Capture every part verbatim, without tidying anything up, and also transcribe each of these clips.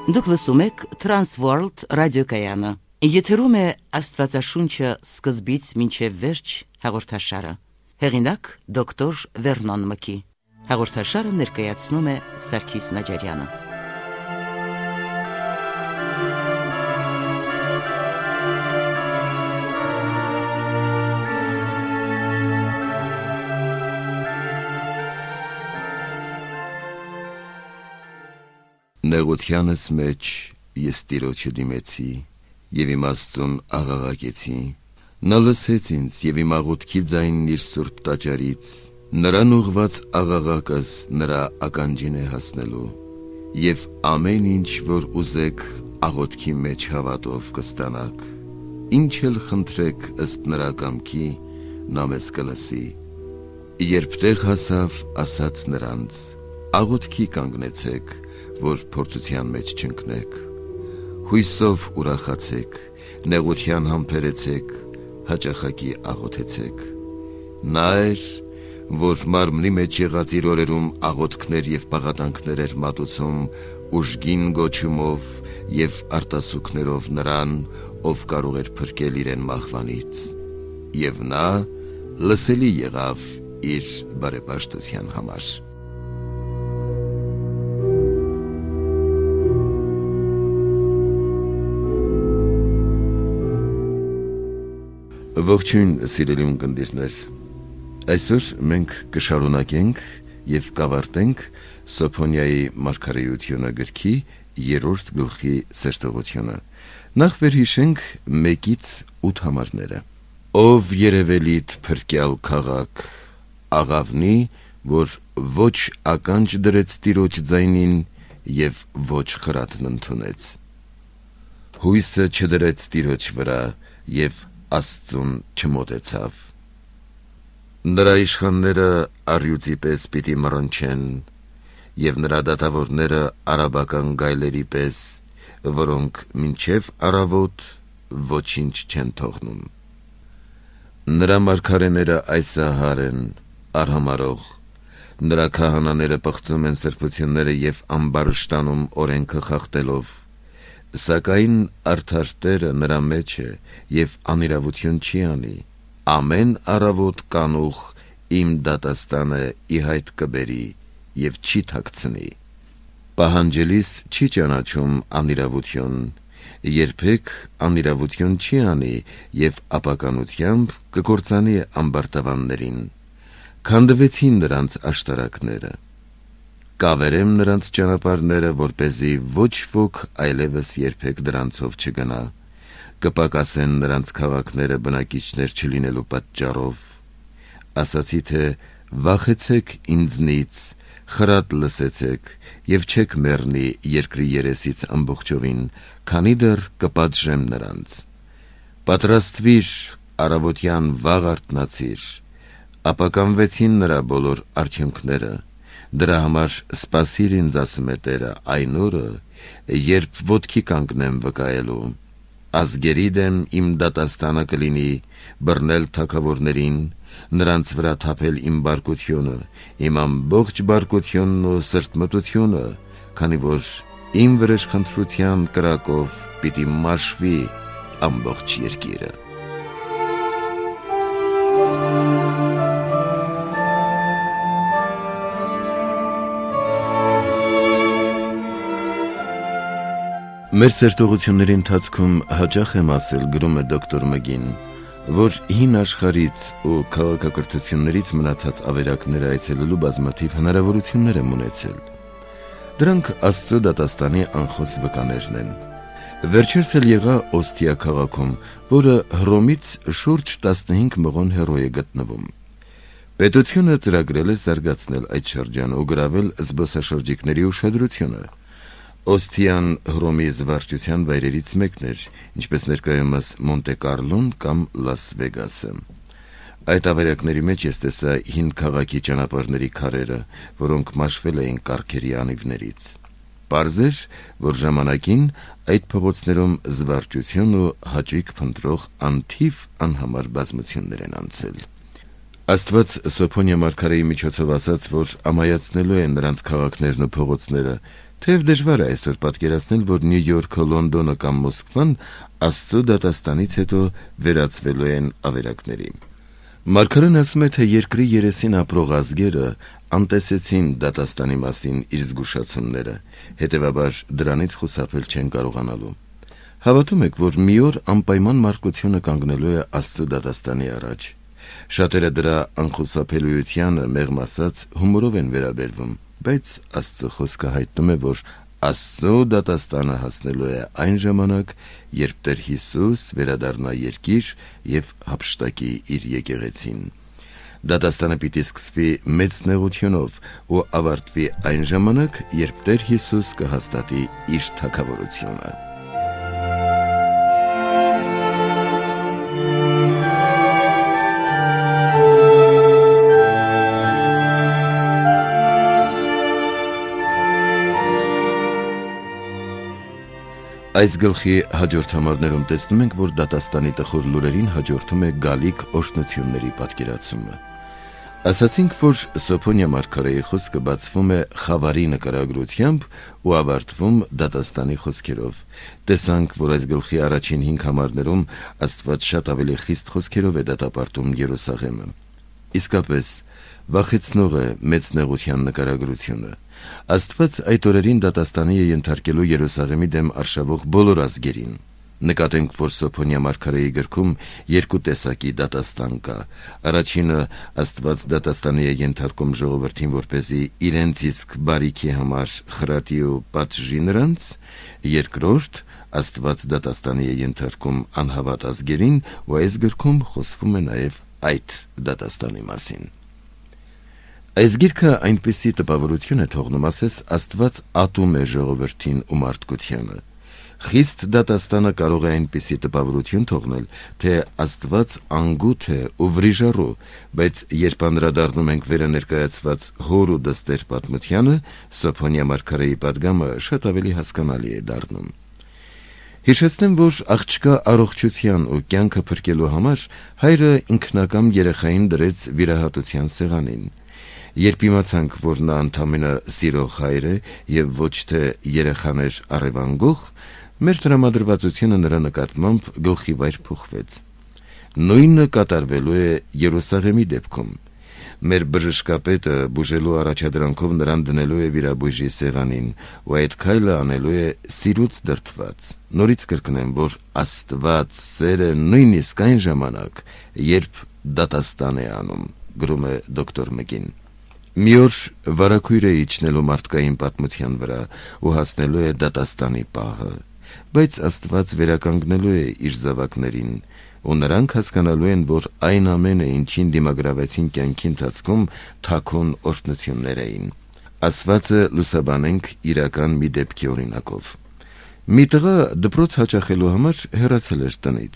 Դուք լսում եք Transworld ռադիոկայանը։ Եթերում է Աստվածաշունչը սկզբից մինչև վերջ հաղորդաշարը։ Հեղինակ դոկտոր Վերնոն Մկի։ Հաղորդաշարը ներկայացնում է Սարգիս Նաջարյանը։ Նեղությանս մեջ ես Տիրոջը դիմեցի և իմ Աստծուն աղաղակեցի, նա լսեց ինձ և իմ աղոթքի ձայնն իր սուրբ տաճարից, նրան ուղղված աղաղակս նրա ականջին է հասնելու, և ամեն ինչ, որ ուզեք աղոթքի մեջ հավատով կստանաք, ինչ էլ խնդրեք ըստ նրա կամքի, նա մեզ կլսի։ Երբ տեղ հասավ, ասաց նրանց. աղոթքի կանգնեցեք, որ փորձության մեջ չընկնեք, հույսով ուրախացեք, նեղության համբերեցեք, հաճախակի աղոթեցեք։ Նա էր, որ մարմնի մեջ եղած իր օրերում աղոթքներ և պաղատանքներ էր մատուցում ուժգին գոչումով և արտասուքներով նրան, ով կարող էր փրկել իրեն մահվանից, և նա լսելի եղավ իր բարեպաշտության համար։ Ողջույն սիրելի ունկնդիրներ, այսօր մենք կշարունակենք և կավարտենք Սոփոնիայի մարգարեությունը գրքի երրորդ գլխի սերտողությունը։ Նախ վերհիշենք մեկից ութ համարները։ Ով երևելիդ փրկյալ քաղաք, աղավնի, որ ոչ ականջ դրեց Տիրոջ ձայնին և ոչ խրատն ընդունեց, հույսը չդրեց Տիրոջ վրա և Աստծուն չմոտեցավ։ Նրա իշխանները առյուծի պես պիտի մռնչեն, և նրա դատավորները արաբական գայլերի պես, որոնք մինչև առավոտ ոչինչ չեն թողնում։ Նրա մարգարեները այսահար են, արհամարող, նրա քահանաները պղծում են սրբությունները և ամբարշտանում օրենքը խախտելով, սակայն արդար Տերը նրա մեջ է և անիրավություն չի անի, ամեն առավոտ կանուխ իմ դատաստանը ի հայտ կբերի և չի թաքցնի։ Պահանջելիս չի ճանաչում անիրավություն, երբեք անիրավություն չի անի և ապականությամբ կկործանի ամբարտավաններին։ Քանդվեցին նրանց աշտարակները, կավերեմ նրանց ճանապարհները, որպեսզի ոչ ոք այլևս երբեք դրանցով չգնա, կպակասեն նրանց քաղաքները բնակիչներ չլինելու պատճառով։ Ասացի թե վախեցեք ինձնից, խրատ լսեցեք և չեք մեռնի երկրի երեսից ամբողջովին, քանի դեռ կպատժեմ նրանց։ Պատրաստվիր, առավոտյան վաղ արթնացիր, ապականվեցին նրա բոլոր արդյունքները, դրա համար սպասիր ինձ, ասում է Տերը, այն օրը, երբ ոտքի կանգնեմ վկայելու, ազգերի դեմ իմ դատաստանը կլինի, բռնել թագավորներին, նրանց վրա թափել իմ բարկությունը, իմ ամբողջ բարկությունն ու սրտմտությունը, քանի որ իմ վրեժխնդրության կրակով պիտի մաշվի ամբողջ երկիրը։ Մեր սերտողությունների ընթացքում հաճախ եմ ասել, գրում է դոկտոր Մգին, որ հին աշխարհից ու քաղաքակրթություններից մնացած ավերակները այցելելու բազմաթիվ հնարավորություններ եմ ունեցել։ Դրանք Աստծո դատաստանի անխոս վկաներն են։ Վերջերս էլ եղա Օստիա քաղաքում, որը Հռոմից շուրջ տասնհինգ մղոն հեռու է գտնվում։ Պետությունը ծրագրել է զարգացնել այդ շրջանը ու գրավել զբոսաշրջիկների ուշադրությունը։ Օստիան Հռոմի զվարճության վայրերից մեկն էր, ինչպես ներկայումս Մոնտե Կարլոն կամ Լաս Վեգասը։ Այդ ավերակների մեջ ես տեսա հին քաղաքի ճանապարհների քարերը, որոնք մաշվել էին կառքերի անիվներից։ Պարզ էր, որ ժամանակին այդ փողոցներում զվարճություն ու հաճույք փնտրող անթիվ անհամար բազմություններ են անցել։ Աստված Սոփոնիա մարգարեի միջոցով ասաց, որ ամայացնելու է նրանց քաղաքներն ու փողոցները, Թեև դժվար է այսօր պատկերացնել, որ Նյու Յորքը, Լոնդոնը կամ Մոսկվան Աստծո դատաստանից հետո վերածվելու են ավերակների։ Մարգարեն ասում է, թե երկրի երեսին ապրող ազգերը անտեսեցին դատաստանի մասին իր զգուշացումները, հետևաբար դրանից խուսափել չեն կարողանալու։ Հավատում եք, որ մի օր անպայման մարդկությունը կանգնելու է Աստծո դատաստանի առաջ։ Շատերը դրա անխուսափելիությանը մեղմ ասած հումորով են վերաբերվում, բայց Աստծո խոսքը հայտնում է, որ Աստծո դատաստանը հասնելու է այն ժամանակ, երբ Տեր Հիսուս վերադառնա երկիր և հափշտակի իր եկեղեցին։ Դատաստանը պիտի սկսվի մեծ նեղությունով ու ավարտվի այն ժամանակ, երբ Տեր Հիսուս կհաստատի իր թագավորությունը։ Այս գլխի հաջորդ համարներում տեսնում ենք, որ դատաստանի տխուր լուրերին հաջորդում է գալիք օրհնությունների պատկերացումը։ Ասացինք, որ Սոփոնիա մարգարեի խոսքը բացվում է խավարի նկարագրությամբ ու ավարտվում դատաստանի խոսքերով։ Տեսանք, որ այս գլխի առաջին հինգ համարներում Աստված շատ ավելի խիստ խոսքերով է դատապարտում Երուսաղեմը։ Իսկապես, վախեցնող է մեծ նեղության նկարագրությունը։ Աստված այդ օրերին դատաստանի է ենթարկելու Երուսաղեմի դեմ արշավող բոլոր ազգերին։ Նկատենք, որ Սոփոնիա մարգարեի գրքում երկու տեսակի դատաստան կա։ Առաջինը Աստված դատաստանի է ենթարկում ժողովրդին, որպեսզի իրենց իսկ բարիքի համար խրատի ու պատժի նրանց։ Երկրորդ Աստված դատաստանի է ենթարկում անհավատ ազգերին, ու այս գրքում խոսվում է նաև այդ դատաստանի մասին։ Այս գիրքը այնպիսի տպավորություն է թողնում, ասես Աստված ատում է ժողովրդին ու մարդկությանը։ Խիստ դատաստանը կարող է այնպիսի տպավորություն թողնել, թե Աստված անգութ է ու վրիժառու, բայց երբ անդրադառնում ենք վերը ներկայացված հոր ու դստեր պատմությանը, Սոփոնիա մարգարեի պատգամը շատ ավելի հասկանալի է դառնում։ Հիշեցնեմ, որ աղջկա առողջության ու կյանքը փրկելու համար հայրը ինքնակամ երեխային դրեց վիրահատության սեղանին։ Երբ իմացանք, որ նա ընդամենը սիրող հայր է և ոչ թե երեխաներ առևանգող, մեր տրամադրվածությունը նրա նկատմամբ գլխիվայր փոխվեց։ Նույնը կատարվելու է Երուսաղեմի դեպքում։ Մեր բժշկապետը բուժելու առաջադրանքով նրան դնելու է վիրաբույժի սեղանին, ու այդ քայլը անելու է սիրուց դրդված։ Նորից կրկնեմ, որ Աստված սեր է նույնիսկ այն ժամանակ, երբ դատաստան է անում, գրում է դոկտոր Մկին։ Մի օր վարագույր է իջնելու մարդկային պատմության վրա ու հասնելու է դատաստանի պահը, բայց Աստված վերականգնելու է իր զավակներին, ու նրանք հասկանալու են, որ այն ամենը, ինչին դիմագրավեցին կյանքի ընթացքում, թաքուն օրհնություններ էին։ Ասվածը լուսաբանենք իրական մի դեպքի օրինակով։ Մի տղա դպրոց հաճախելու համար հեռացել էր տնից,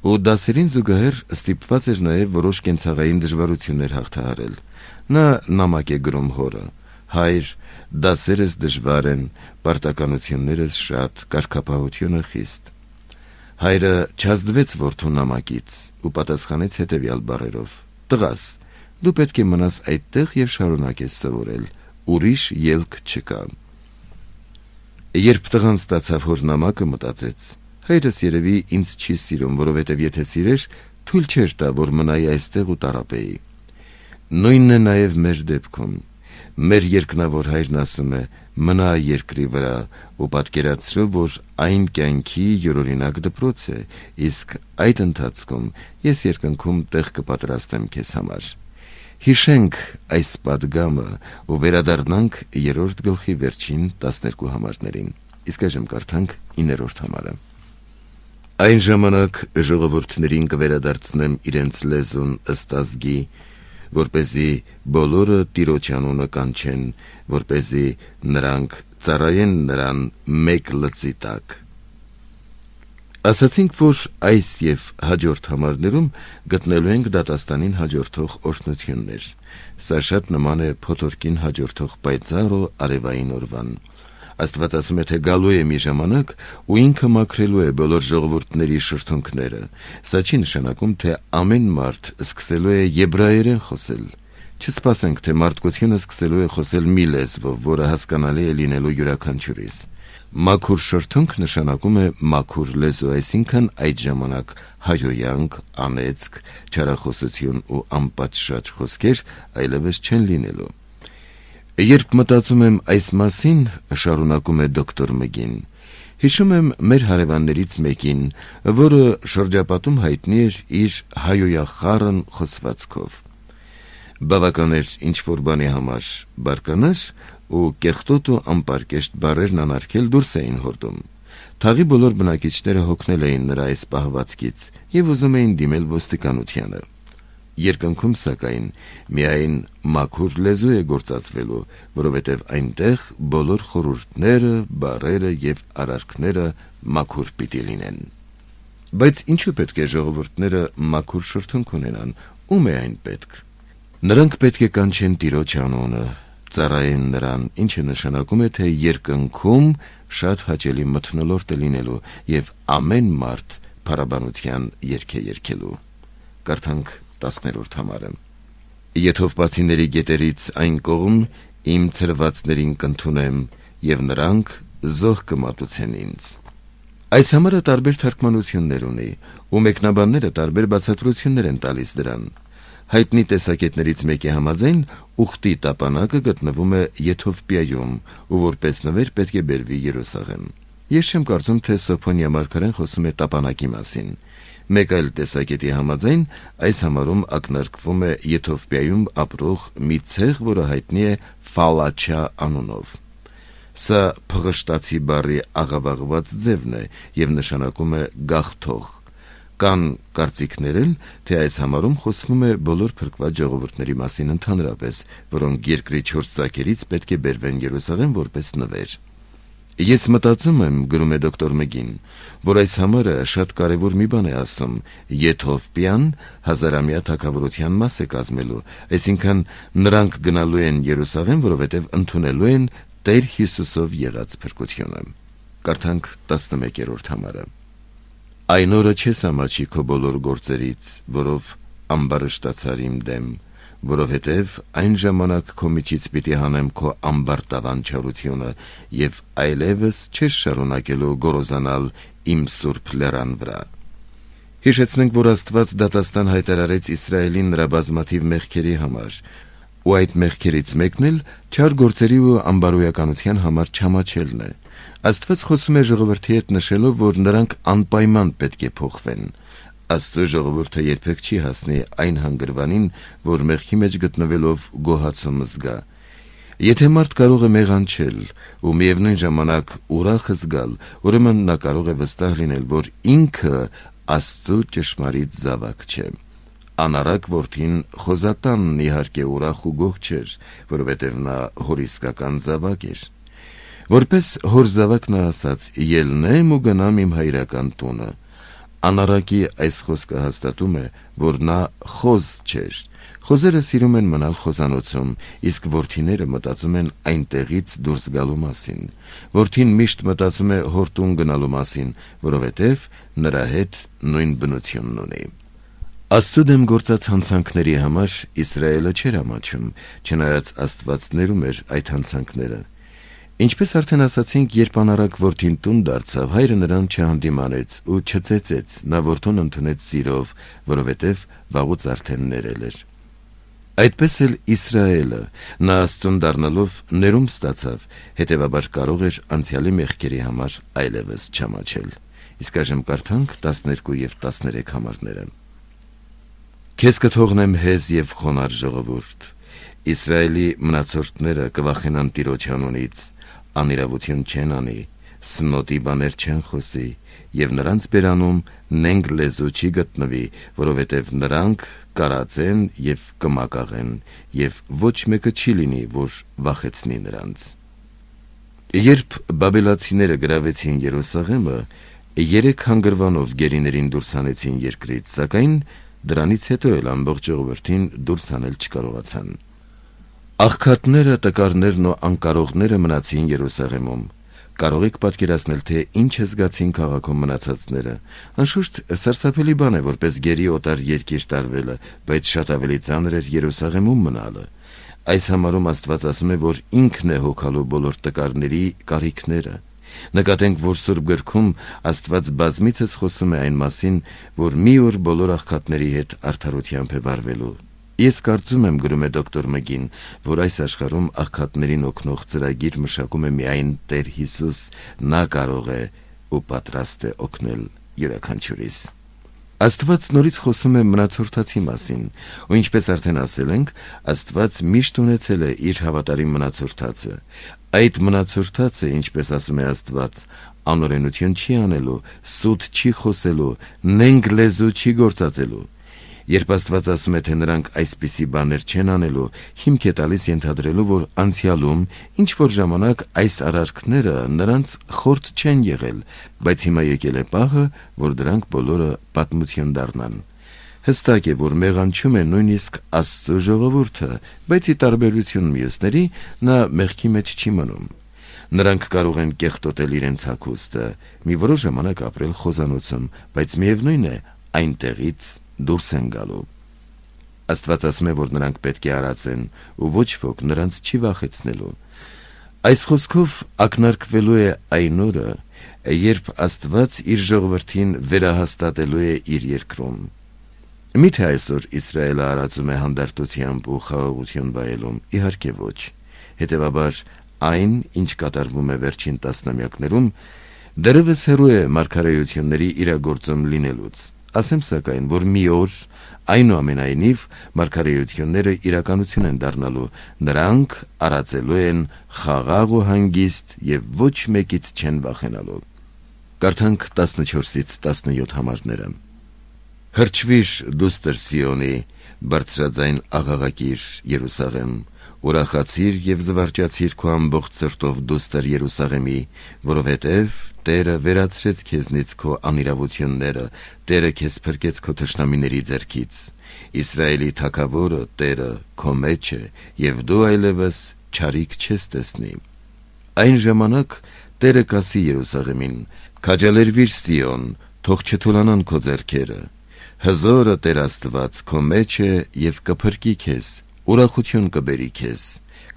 ու դասերին զուգահեռ ստիպված էր նաև որոշ կենցաղային դժվարություններ հաղթահարել։ Նա նամակ է գրում հորը. «Հայր, դասերս դժվար են, պարտականություններս շատ, կարգապահությունը խիստ»։ Հայրը չազդվեց որդու նամակից ու պատասխանեց հետևյալ բառերով. «Տղաս, դու պետք է մնաս այդտեղ և շարունակես սովորել, ուրիշ ելք չկա»։ Երբ տղան ստացավ հոր նամակը, մտածեց. հայրս երևի ինձ չի սիրում, որովհետև եթե սիրեր, թույլ չէր տա, որ մնայի այստեղ ու տառապեի։ Նույնն է նաև մեր դեպքում։ Մեր երկնավոր հայրն ասում է. մնա երկրի վրա ու պատկերացրու, որ այն կյանքի յուրօրինակ դպրոց է, իսկ այդ ընթացքում ես երկնքում տեղ կպատրաստեմ քեզ համար։ Հիշենք այս պատգամը ու վերադառնանք երրորդ գլխի վերջին տասներկու համարներին։ Իսկ այժմ կարդանք իններորդ համարը։ Այն ժամանակ ժողովուրդներին կվերադարձնեմ իրենց լեզուն ըստ ազգի, որպեսզի բոլորը Տիրոջ անունը կանչեն, որպեսզի նրանք ծառայեն նրան մեկ լծի տակ։ Ասացինք, որ այս և հաջորդ համարներում գտնելու ենք դատաստանին հաջորդող օրհնություններ։ Սա շատ նման է փոթորկին հաջորդող պայծառ ու արևային օրվան։ Աստված ասում է, թե գալու է մի ժամանակ, ու ինքը մաքրելու է բոլոր ժողովուրդների շրթունքները։ Սա չի նշանակում, թե ամեն մարդ սկսելու է եբրայերեն խոսել։ Չսպասենք, թե մարդկությունը սկսելու է խոսել մի լեզվով, որը հասկանալի է լինելու յուրաքանչյուրիս։ Մաքուր շրթունք նշանակում է մաքուր լեզու, այսինքն այդ ժամանակ հայոյանք, անեծք, չարախոսություն ու անպատշաճ խոսքեր այլևս չեն լինելու։ Երբ մտածում եմ այս մասին, շարունակում է դոկտոր Մգին, հիշում եմ մեր հարևաններից մեկին, որը շրջապատում հայտնի էր իր հայոյախառն խոսվածքով։ Բավական էր ինչ-որ բանի համար բարկանար ու կեղտոտ ու անպարկեշտ բառերն անարգել դուրս էին հորդում։ Թաղի բոլոր բնակիչները հոգնել էին նրա այս պահվածքից և ուզում էին դիմել ոստիկանությանը։ Երկնքում, սակայն, միայն մաքուր լեզու է գործածվելու, որովհետև այնտեղ բոլոր խորհուրդները, բառերը և արարքները մաքուր պիտի լինեն։ Բայց ինչու պետք է ժողովուրդները մաքուր շրթունք ունենան, ում է այն պետք։ Նրանք պետք է կանչեն Տիրոջ անունը, ծառայեն նրան, ինչը նշանակում է, թե երկնքում շատ հաճելի մթնոլորտ է լինելու և ամեն մարդ փառաբանության երգ է երգելու։ Կարդանք տասներորդ համարը։ Եթովպացիների գետերից այն կողմ իմ ցրվածներին կընդունեմ, և նրանք զոհ կմատուցեն ինձ։ Այս համարը տարբեր թարգմանություններ ունի, ու մեկնաբանները տարբեր բացատրություններ են տալիս դրան։ Հայտնի տեսակետներից մեկի համաձայն ուխտի տապանակը գտնվում է Եթովպիայում, ու որպես նվեր պետք է բերվի Երուսաղեմ։ Ես չեմ կարծում, թե Սոփոնյա մարգարեն խոսում է տապանակի մասին։ Մեկ այլ տեսակետի համաձայն այս համարում ակնարկվում է Եթովպիայում ապրող մի ցեղ, որը հայտնի է Ֆալաչա անունով։ Սա փղշտացի բառի աղավաղված ձևն է և նշանակում է գաղթող։ Կան կարծիքներ էլ, թե այս համարում խոսվում է բոլոր փրկված ժողովուրդների մասին ընդհանրապես, որոնք երկրի չորս ծագերից պետք է բերվեն Երուսաղեմ որպես նվեր։ Ես մտածում եմ, գրում է դոկտոր Մգին, որ այս համարը շատ կարևոր մի բան է ասում. Եթովպիան հազարամյա թագավորության մաս է կազմելու, այսինքն նրանք գնալու են Երուսաղեմ, որովհետև ընդունելու են Տեր Հիսուսով եղած փրկությունը։ Կարդանք տասնմեկերորդ համարը։ Այն օրը չես ամաչի քո բոլոր գործերից, որով ամբարշտացար իմ դեմ, որովհետև այն ժամանակ քո միջից պիտի հանեմ քո ամբարտավան չարությունը և այլևս չես շարունակելու գոռոզանալ իմ սուրբ լեռան վրա։ Հիշեցնենք, որ Աստված դատաստան հայտարարեց Իսրայելին նրա բազմաթիվ մեղքերի համար, ու այդ մեղքերից մեկն էլ չար գործերի ու ամբարոյականության համար չամաչելն է։ Աստված խոսում է ժողովրդի հետ նշելով, որ նրանք անպայման պետք է փոխվեն։ Աստծո ժողովուրդը երբեք չի հասնի այն հանգրվանին, որ մեղքի մեջ գտնվելով գոհացում զգա։ Եթե մարդ կարող է մեղանչել ու միևնույն ժամանակ ուրախ զգալ, ուրեմն նա կարող է վստահ լինել, որ ինքը Աստծո ճշմարիտ զավակ չէ։ Անառակ որդին Խոզատանն իհարկե ուրախ ու գոհ չէր, որովհետև նա հորիսկական զավակ էր։ Որպես հոր զավակ նա ասաց. «Ելնեմ ու գնամ իմ հայրական տունը»։ Անառակի այս խոսքը հաստատում է, որ նա խոզ չէր։ Խոզերը սիրում են մնալ խոզանոցում, իսկ որդիները մտածում են այնտեղից դուրս գալու մասին։ Որդին միշտ մտածում է հոր տուն գնալու մասին, որովհետև նրա հետ նույն բնությունն ունի։ Աստծո դեմ գործած հանցանքների համար Իսրայելը չէր ամաչում, չնայած Աստված ներում էր այդ հանցանքները։ Ինչպես արդեն ասացինք, երբ անառակ որդին տուն դարձավ, հայրը նրան չհանդիմանեց ու չծեծեց, նա որդուն ընդունեց սիրով, որովհետև վաղուց արդեն ներել էր։ Այդպես էլ Իսրայելը, նա Աստծուն դառնալով ներում ստացավ, հետևաբար կարող էր անցյալի մեղքերի համար այլևս չամաչել։ Իսկ այժմ կարդանք տասներկու և տասներեք համարները։ Քեզ կթողնեմ հեզ և խոնար ժողովուրդ, Իսրայելի մնացորդները կվախենան Տիրոջ անունից, անիրավություն չեն անի, սնոտի բաներ չեն խոսի, և նրանց բերանում նենգ լեզու չի գտնվի, որովհետև նրանք կարածեն և կմակաղեն, և ոչ մեկը չի լինի, որ վախեցնի նրանց։ Երբ բաբելացիները գրավեցին Երուսաղեմը, երեք հանգրվանով գերիներին դուրս հանեցին երկրից, սակայն դրանից հետո էլ ամբողջ ժողովրդին դուրս հանել չկարողացան։ Աղքատները, տկարներն ու անկարողները մնացին Երուսաղեմում, Կարող եք պատկերացնել, թե ինչ է զգացին քաղաքում մնացածները։ Անշուշտ սարսափելի բան է որպես գերի օտար երկիր տարվելը, բայց շատ ավելի ծանր էր Երուսաղեմում մնալը։ Այս համարում Աստված ասում է, որ ինքն է հոգալու բոլոր տկարների կարիքները։ Նկատենք, որ Սուրբ գրքում Աստված բազմիցս խոսում է այն մասին, որ մի օր բոլոր աղքատների հետ արդարությամբ է վարվելու։ Ես կարծում եմ, գրում է դոկտոր Մգին, որ այս աշխարհում աղքատներին օգնող ծրագիր մշակում է միայն Տեր Հիսուս, նա կարող է ու պատրաստ է օգնել յուրաքանչյուրիս։ Աստված նորից խոսում է մնացորդացի մասին, ու ինչպես արդեն ասել ենք, Աստված միշտ ունեցել է իր հավատարիմ մնացորդացը։ Այդ մնացորդացը, ինչպես ասում է Աստված, անօրենություն չի անելու, սուտ չի խոսելու, նենգ լեզու չի գործածելու։ Երբ Աստված ասում է, թե նրանք այսպիսի բաներ չեն անելու, հիմք է տալիս ենթադրելու, որ անցյալում ինչ-որ ժամանակ այս արարքները նրանց խորտ չեն եղել, բայց հիմա եկել է պահը, որ դրանք բոլորը պատմություն դառնան։ Հստակ է, որ մեղանչում է նույնիսկ Աստծո ժողովուրդը, բայց ի տարբերություն մյուսների, նա մեղքի մեջ չի մնում։ Նրանք կարող են կեղտոտել իրենց հագուստը, մի որոշ ժամանակ ապրել խոզանոցում, բայց միևնույն է, այնտեղից դուրս են գալու։ Աստված ասում է, որ նրանք պետք է արածեն, ու ոչ ոք նրանց չի վախեցնելու։ Այս խոսքով ակնարկվելու է այն օրը, երբ Աստված իր ժողովրդին վերահաստատելու է իր երկրում։ Միթե այսօր Իսրայելը արածում է հանդարտությամբ ու խաղաղություն վայելում, իհարկե ոչ։ Հետևաբար այն, ինչ կատարվում է վերջին տասնամյակներում, դեռևս հեռու է մարգարեությունների իրագործում լինելուց։ Ասեմ սակայն, որ մի օր, այնուամենայնիվ, մարգարեությունները իրականություն են դառնալու, նրանք արածելու են խաղաղ ու հանգիստ և ոչ մեկից չեն վախենալու։ Կարդանք տասնչորսից տասնյոթ համարները։ Հրճվիր դուստր Սիոնի, բարձրաձայն աղաղակիր Երուսաղեմ, ուրախացիր և զվարճացիր քո ամբողջ սրտով դուստր Երուսաղեմի, որովհետև Տերը վերացրեց քեզնից քո անիրավությունները, Տերը քեզ փրկեց քո թշնամիների ձեռքից։ Իսրայելի թագավորը Տերը քո մեջ է, և դու այլևս չարիք չես տեսնի։ Այն ժամանակ Տերը կասի Երուսաղեմին. քաջալերվիր Սիոն, թող չթուլանան քո ձեռքերը։ Հզորը Տեր Աստված քո մեջ է և կփրկի քեզ, ուրախություն կբերի քեզ,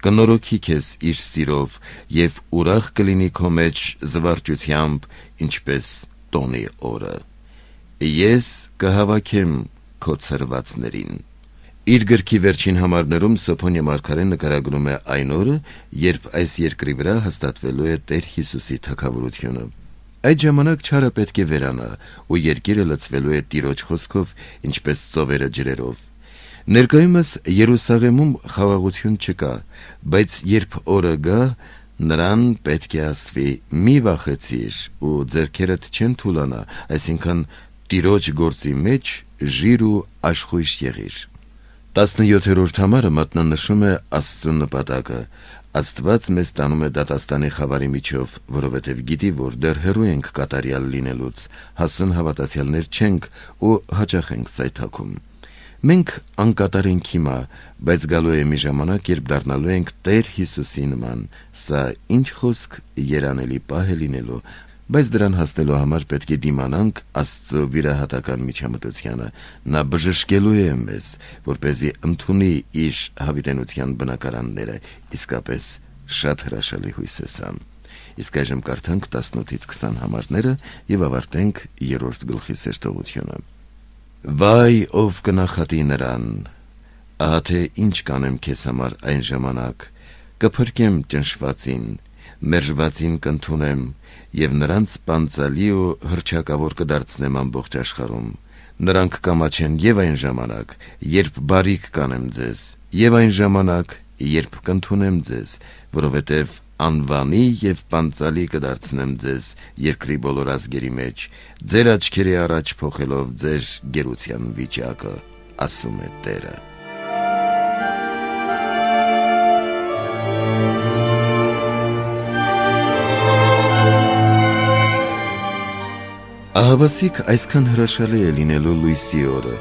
կնորոգի քեզ իր սիրով և ուրախ կլինի քո մեջ զվարճությամբ, ինչպես տոնի օրը։ Ես կհավաքեմ քո ցրվածներին։ Իր գրքի վերջին համարներում Սոփոնիա մարգարեն նկարագրում է այն օրը, երբ այս երկրի վրա հաստատվելու է Տեր Հիսուսի թագավորությունը։ Այդ ժամանակ չարը պետք է վերանա, ու երկիրը լցվելու է Տիրոջ խոսքով, ինչպես ծովերը ջրերով։ Ներկայումս Երուսաղեմում խաղաղություն չկա, բայց երբ օրը գա, նրան պետք է ասվի. մի վախեցիր, ու ձեռքերդ չեն թուլանա, այսինքն Տիրոջ գործի մեջ ժիր ու աշխույժ եղիր։ տասնյոթերորդ համարը մատնանշում է Աստծո նպատակը։ Աստված մեզ տանում է դատաստանի խավարի միջով, որովհետև գիտի, որ դեռ հեռու ենք կատարյալ լինելուց, հասուն հավատացյալներ չենք ու հաճախ ենք սայթաքում։ Մենք անկատար ենք հիմա, բայց գալու է մի ժամանակ, երբ դառնալու ենք Տեր Հիսուսի նման։ Սա ինչ խոսք երանելի պահ է լինելու, բայց դրան հասնելու համար պետք է դիմանանք Աստծո վիրահատական միջամտությանը։ Նա բժշկելու է մեզ, որպեսզի ընդունի իր հավիտենության բնակարանները, իսկապես շատ հրաշալի հույս է սա։ Իսկ այժմ կարդանք տասնութից քսան համարները և ավարտենք երրորդ գլխի սերտողությունը։ Վայ, ով կնախատի նրան, ահա թե ինչ կանեմ քեզ համար այն ժամանակ, կփրկեմ ճնշվածին, մերժվածին կընդունեմ, և նրանց պանծալի ու հռչակավոր կդարձնեմ ամբողջ աշխարհում։ Նրանք կամաչեն և այն ժամանակ, երբ բարիք կանեմ ձեզ, և այն ժամանակ, երբ կընդունեմ ձեզ, որովհետև անվանի և պանծալի կդարձնեմ ձեզ երկրի բոլոր ազգերի մեջ, ձեր աչքերի առաջ փոխելով ձեր գերության վիճակը, ասում է Տերը։ Ահավասիկ այսքան հրաշալի է լինելու լույսի օրը,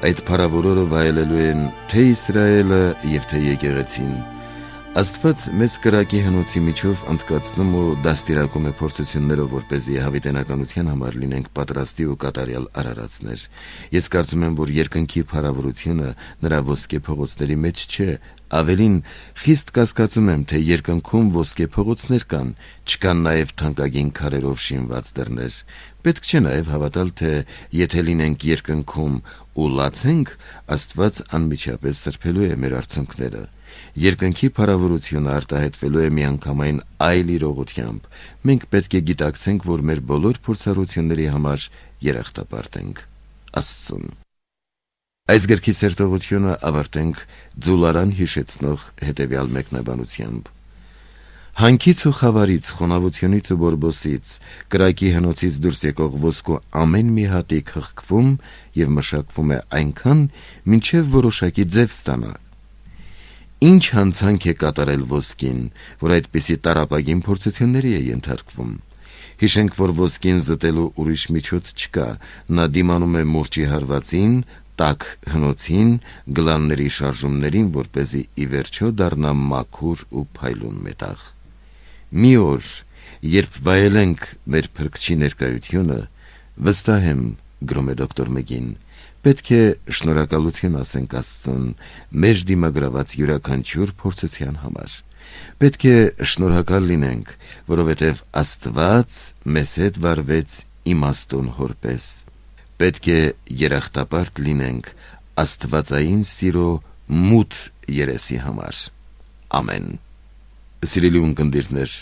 այդ փառավոր օրը վայելելու են թե Իսրայելը և թե եկեղեցին։ Աստված մեզ կրակի հնոցի միջով անցկացնում ու դաստիարակում է փորձություններով, որպեսզի հավիտենականության համար լինենք պատրաստի ու կատարյալ արարածներ։ Ես կարծում եմ, որ երկնքի փառավորությունը նրա ոսկե փողոցների մեջ չէ, ավելին խիստ կասկածում եմ, թե երկնքում ոսկե փողոցներ կան, չկան նաև թանկագին քարերով շինված դռներ։ Պետք չէ նաև հավատալ, թե եթե լինենք երկնքում ու լացենք, Աստված անմիջապես սրբելու է մեր արցունքները։ Երկնքի փառավորությունը արտահայտվելու է միանգամայն այլ իրողությամբ։ Մենք պետք է գիտակցենք, որ մեր բոլոր փորձառությունների համար երախտապարտ ենք Աստծուն։ Այս գրքի սերտողությունը ավարտենք ձուլարան հիշեցնող հետևյալ մեկնաբանությամբ. Հանքից ու խավարից, խոնավությունից ու բորբոսից, կրակի հնոցից դուրս եկող ոսկու ամեն մի հատիկ հղկվում և մշակվում է այնքան, մինչև որոշակի ձև ստանա։ Ինչ հանցանք է կատարել ոսկին, որ այդպիսի տառապագին փորձությունների է ենթարկվում։ Հիշենք, որ ոսկին զտելու ուրիշ միջոց չկա, նա դիմանում է մուրճի հարվածին, տաք հնոցին, գլանների շարժումներին, որպեսզի ի վերջո դառնա մաքուր ու փայլուն մետաղ։ Մի օր, երբ վայելենք մեր Փրկչի ներկայությունը, վստահ եմ, գրում է դոկտոր Մգին, պետք է շնորհակալություն ասենք Աստծուն մեր դիմագրաված յուրաքանչյուր փորձության համար։ Պետք է շնորհակալ լինենք, որովհետև Աստված մեզ հետ վարվեց իմաստուն հոր պես։ Պետք է երախտապարտ լինենք աստվածային սիրո մութ երեսի համար։ Ամեն։ Սիրելի ունկնդիրներ,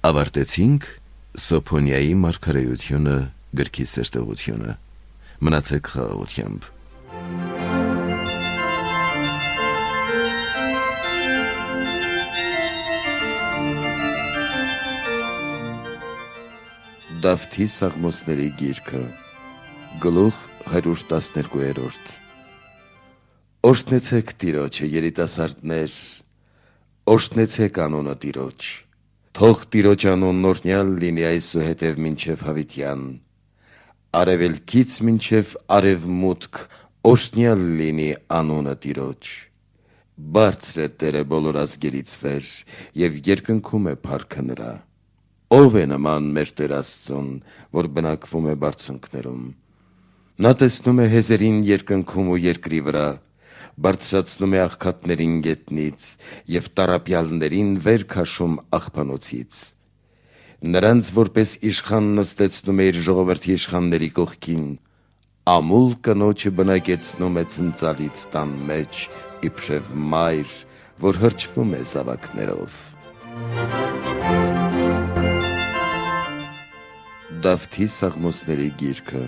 ավարտեցինք Սոփոնիայի մարգարեությունը գրքի սերտողությունը։ Մնացեք խաղաղությամբ։ Դավթի Սաղմոսների գիրքը, գլուխ հարյուր տասներկու։ Օրհնեցեք Տիրոջը, երիտասարդներ, օրհնեցեք անունը Տիրոջ։ Թող Տիրոջ անունն օրհնյալ լինի այսուհետև մինչև հավիտյան։ Արևելքից մինչև արևմուտք օրհնյալ լինի անունը Տիրոջ։ Բարձր է Տերը բոլոր ազգերից վեր, և երկնքում է փառքը նրա։ Ո՞վ է նման մեր Տեր Աստծուն, որ բնակվում է բարձունքներում։ Նա տեսնում է հեզերին երկնքում ու երկրի վրա, բարձրացնում է աղքատներին գետնից և տառապյալներին վեր քաշում աղբանոցից։ Նրանց որպես իշխան նստեցնում է իր ժողովրդի իշխանների կողքին, ամուլ կնոջը բնակեցնում է ցնծալից տան մեջ, իբրև մայր, որ հրճվում է զավակներով։ Դավթի Սաղմոսների գիրքը,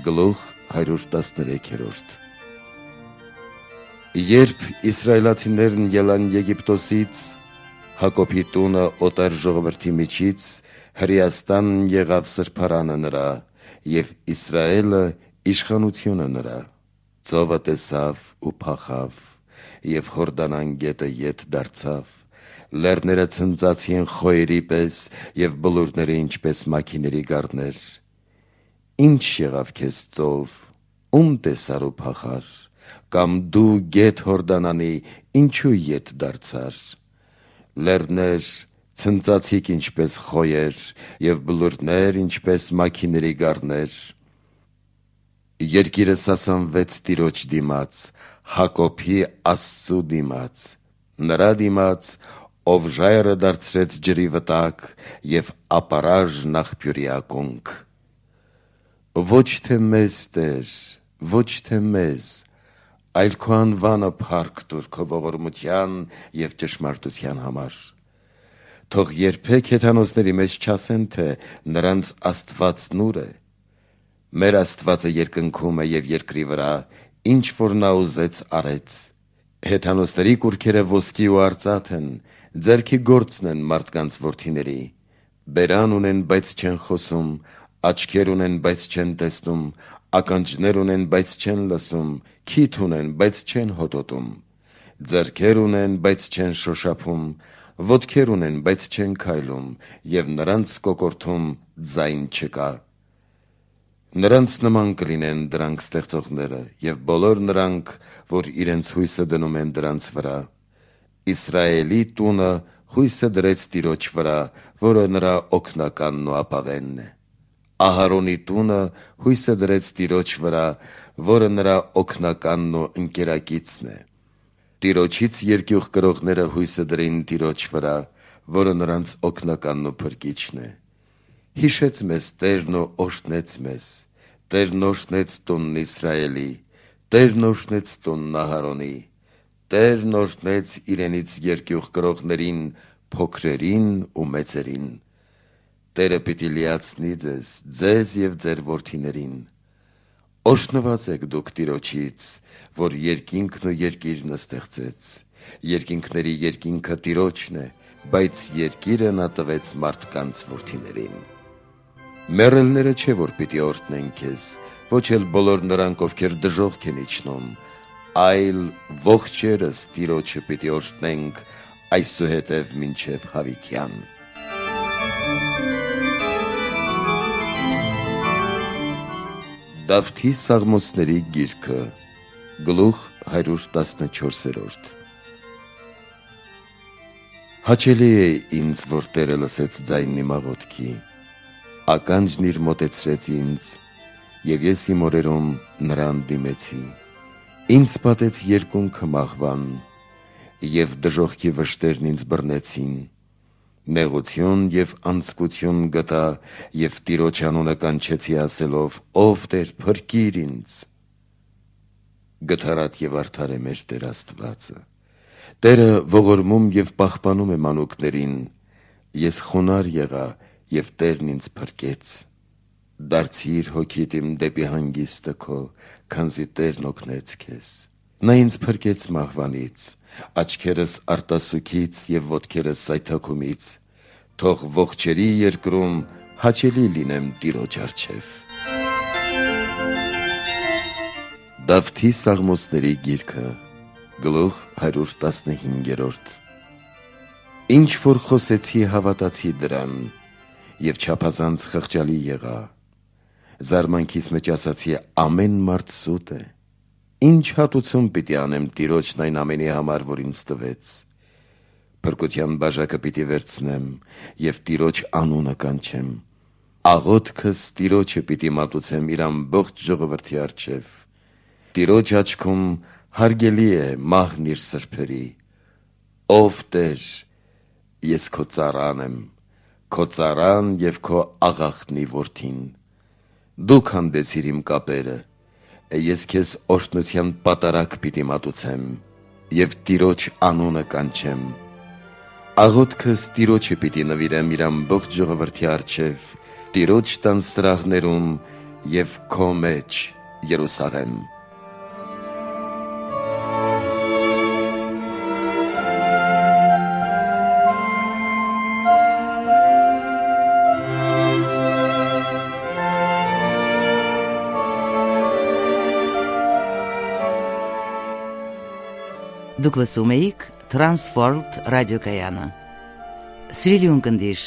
գլուխ հարյուր տասներեք։ Երբ իսրայելացիներն ելան Եգիպտոսից, Հակոբի տունը օտար ժողովրդի միջից Հրեաստան եղավ սրբարանը նրա, և Իսրայելը իշխանությունը նրա։ Ծովը տեսավ ու փախավ, և Հորդանան գետը ետ դարձավ, լեռները ցնծացին խոյերի պես, և բլուրները ինչպես մաքիների գառներ։ Ինչ եղավ քեզ ծով, ում տեսար ու փախար, կամ դու գետ Հորդանանի ինչու ետ դարձար։ Լեռներ ցնծացիք ինչպես խոյեր, և բլուրներ ինչպես մաքիների գառներ։ Երկիրը սասանվեց Տիրոջ դիմաց, Հակոբի Աստծու դիմաց, նրա դիմաց, ով ժայռը դարձրեց ջրի վտակ և ապարաժն աղբյուրի ակունք։ Ոչ թե մեզ, Տեր, ոչ թե մեզ, այլ քո անվանը փառք տուր քո ողորմության և ճշմարտության համար։ Թող երբեք հեթանոսների մեջ չասեն, թե նրանց Աստվածն ուր է։ Մեր Աստվածը երկնքում է և երկրի վրա, ինչ որ նա ուզեց արեց։ Հեթանոսների կուռքերը ոսկի ու արծաթ են, ձեռքի գործն են մարդկանց որդիների։ Բերան ունեն, բայց չեն խոսում, աչքեր ունեն, բայց չեն տեսնում, ականջներ ունեն, բայց չեն լսում, քիթ ունեն, բայց չեն հոտոտում, ձեռքեր ունեն, բայց չեն շոշափում, ոտքեր ունեն, բայց չեն քայլում, և նրանց կոկորդում ձայն չկա։ Նրանց նման կլինեն դրանք ստեղծողները, և բոլոր նրանք, որ իրենց հույսը դնում են դրանց վրա։ Իսրայելի տունը հույսը դրեց Տիրոջ վրա, որը նրա օգնականն ու ապավենն է։ Ահարոնի տունը հույսը դրեց Տիրոջ վրա, որը նրա օգնականն ու ընկերակիցն է։ Տիրոջից երկյուղ կրողները հույսը դրին Տիրոջ վրա, որը նրանց օգնականն ու փրկիչն է։ Հիշեց մեզ Տերն ու օրհնեց մեզ, Տերն օրհնեց տունն Իսրայելի, Տերն օրհնեց տունն Ահարոնի, Տերն օրհնեց իրենից երկյուղ կրողներին, փոքրերին ու մեծերին։ Տերը պիտի լիացնի ձեզ, ձեզ և ձեր որդիներին։ Օրհնված եք դուք Տիրոջից, որ երկինքն ու երկիրն ստեղծեց։ Երկինքների երկինքը Տիրոջն է, բայց երկիրը նա տվեց մարդկանց որդիներին։ Մեռելները չէ, որ պիտի օրհնեն քեզ, ոչ էլ բոլոր նրանք, ովքեր դժոխք են իջնում, այլ ողջերս Տիրոջը պիտի օրհնենք այսուհետև մինչև հավիտյան։ Դավթի Սաղմոսների գիրքը, գլուխ հարյուր տասնչորս։ Հաճելի է ինձ, որ Տերը լսեց ձայնն իմ աղոթքի, ականջն իր մոտեցրեց ինձ, և ես իմ օրերում նրան դիմեցի։ Ինձ պատեց երկունքը մահվան, և դժոխքի վշտերն ինձ բռնեցին։ Նեղություն և անձկություն գտա, և Տիրոջ անունը կանչեցի ասելով. «Ով Տեր, փրկիր ինձ»։ Գթառատ և արդար է մեր Տեր Աստվածը։ Տերը ողորմում և պահպանում է մանուկներին։ Ես խոնարհ եղա, և Տերն ինձ փրկեց։ Դարձիր հոգիդ իմ դեպի հանգիստը քո, քանզի Տերն օգնեց քեզ։ Նա ինձ փրկեց մահվանից, աչքերս արտասուքից և ոտքերս սայթաքումից։ Թող ողջերի երկրում հաճելի լինեմ Տիրոջ առջև։ Դավթի Սաղմոսների գիրքը, գլուխ հարյուր տասնհինգ։ Ինչ որ խոսեցի, հավատացի դրան, և չափազանց խղճալի եղա։ Զարմանքիս մեջ ասացի. ամեն մարդ սուտ է։ Ինչ հատուցում պիտի անեմ Տիրոջն այն ամենի համար, որ ինձ տվեց։ Փրկության բաժակը պիտի վերցնեմ և Տիրոջ անունը կանչեմ։ Աղոթքս Տիրոջը պիտի մատուցեմ իր ամբողջ ժողովրդի առջև։ Տիրոջ աչքում հարգելի է մահն իր սրբերի։ Ով Տեր, ես քո ծառան եմ, քո ծառան և քո աղախնի որդին։ Դու քանդեցիր իմ կապերը, ես քեզ օրհնության պատարագ պիտի մատուցեմ և Տիրոջ անունը կանչեմ։ Աղոթքս Տիրոջը պիտի նվիրեմ իր ամբողջ ժողովրդի առջև, Տիրոջ տան սրահներում և քո մեջ, Երուսաղեմ։ Դուք լսում էիք Transworld ռադիոկայանը։ Սիրելի ունկնդիր,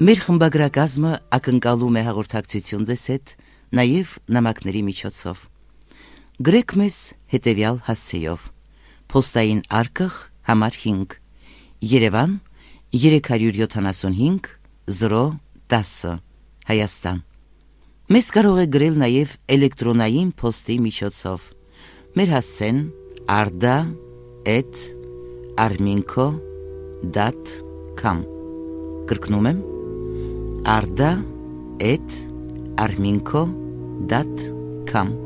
մեր խմբագրակազմը ակնկալում է հաղորդակցություն ձեզ հետ նաև նամակների միջոցով։ Գրեք մեզ հետևյալ հասցեով. Պոստային արկղ համար հինգ, Երևան երեք հարյուր յոթանասունհինգ զրո տասը, Հայաստան։ Մեզ կարող է գրել նաև էլեկտրոնային փոստի միջոցով։ Մեր հասցեն arda at arminco dot com։ Կրկնում եմ arda at arminco dot com։